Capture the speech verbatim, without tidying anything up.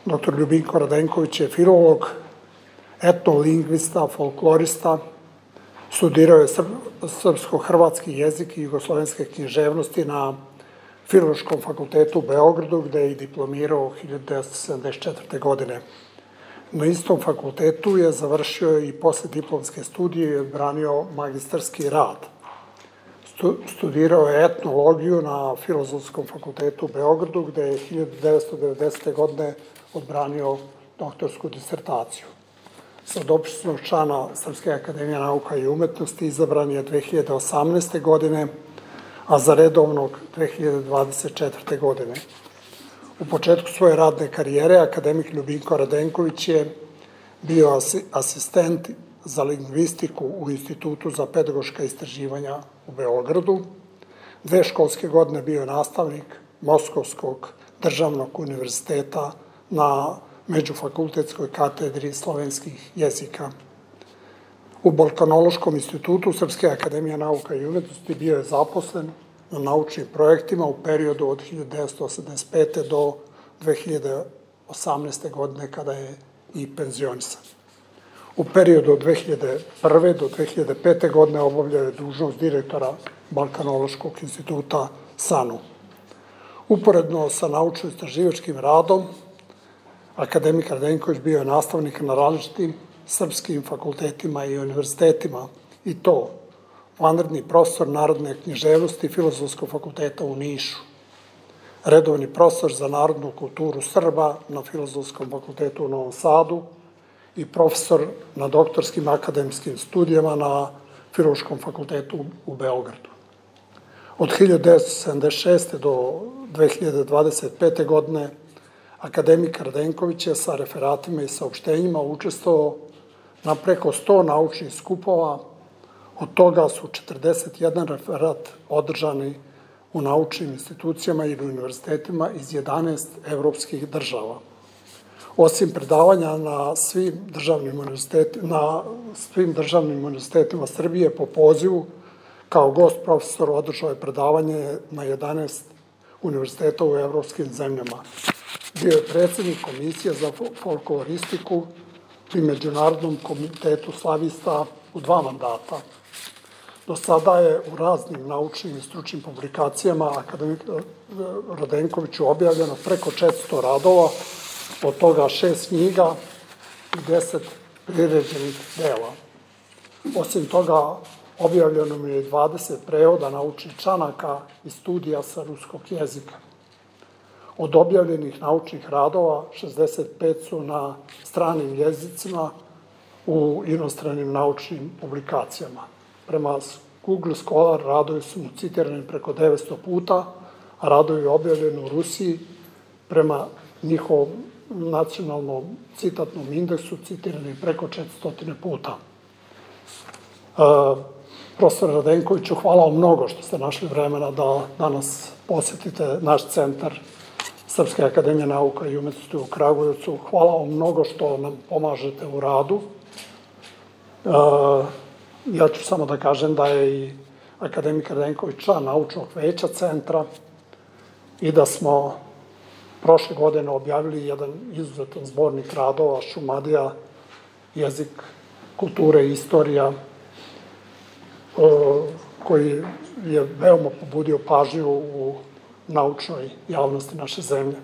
doktor Ljubinko Radenković je filolog, etnolingvista, folklorista, studirao je srpsko-hrvatski jezik i jugoslovenske književnosti na Filološkom fakultetu u Beogradu, gde je i diplomirao hiljadu devetsto sedamdeset četvrte. godine. Na istom fakultetu je završio i posle diplomske studije i odbranio magistarski rad. Studirao je etnologiju na Filozofskom fakultetu u Beogradu, gde je hiljadu devetsto devedesete. godine odbranio doktorsku disertaciju. Sa dopisnog člana Srpske akademije nauka i umetnosti izabran je dve hiljade osamnaeste. godine, a za redovnog dve hiljade dvadeset četvrte. godine. U početku svoje radne karijere akademik Ljubinko Radenković je bio asistent za lingvistiku u Institutu za pedagoška istraživanja u Beogradu. Dve školske godine bio je nastavnik Moskovskog državnog univerziteta na Međufakultetskoj katedri slovenskih jezika. U Balkanološkom institutu Srpske akademije nauka i umetnosti bio je zaposlen na naučnim projektima u periodu od hiljadu devetsto osamdeset pete. do dve hiljade osamnaeste. godine, kada je i penzionisan. U periodu od dve hiljade prve. do dve hiljade pete. godine obavljao je dužnost direktora Balkanološkog instituta SANU. Uporedno sa naučno-istraživačkim radom, akademik Radenković bio je nastavnik na različitim srpskim fakultetima i univerzitetima, i to vanredni profesor narodne književnosti Filozofskog fakulteta u Nišu, redovni profesor za narodnu kulturu Srba na Filozofskom fakultetu u Novom Sadu i profesor na doktorskim akademskim studijama na Filološkom fakultetu u Beogradu. Od hiljadu devetsto sedamdeset šeste. do dve hiljade dvadeset pete. godine akademik Radenković je sa referatima i saopštenjima učestvovao na preko sto naučnih skupova, od toga su četrdeset jedan referat održani u naučnim institucijama ili univerzitetima iz jedanaest evropskih država. Osim predavanja na svim državnim univerzitetima, na svim državnim univerzitetima Srbije po pozivu, kao gost profesor održao je predavanje na jedanaest univerziteta u evropskim zemljama. Bio je predsednik Komisije za folkloristiku pri Međunarodnom komitetu slavista u dva mandata. Do sada je u raznim naučnim i stručnim publikacijama akademik Radenkoviću objavljeno preko četiristo radova, od toga šest knjiga i deset priređenih dela. Osim toga, objavljeno mi je dvadeset prevoda naučnih članaka i studija sa ruskog jezika. Od objavljenih naučnih radova, šezdeset pet su na stranim jezicima u inostranim naučnim publikacijama. Prema Google Scholar radovi su mu citirani preko devetsto puta, a radovi objavljeni u Rusiji prema njihovom nacionalnom citatnom indeksu citirani preko četiristo puta. Profesor Radenkoviću, hvala vam mnogo što ste našli vremena da danas posetite naš centar Srpske akademije nauka i umetnosti u Kragujevcu. Hvala vam mnogo što nam pomažete u radu. Ja ću samo da kažem da je i akademik Radenković član naučnog veća centra i da smo prošle godine objavili jedan izuzetan zbornik radova Šumadija, jezik, kulture i istorija, koji je veoma pobudio pažnju u naučnoj javnosti naše zemlje.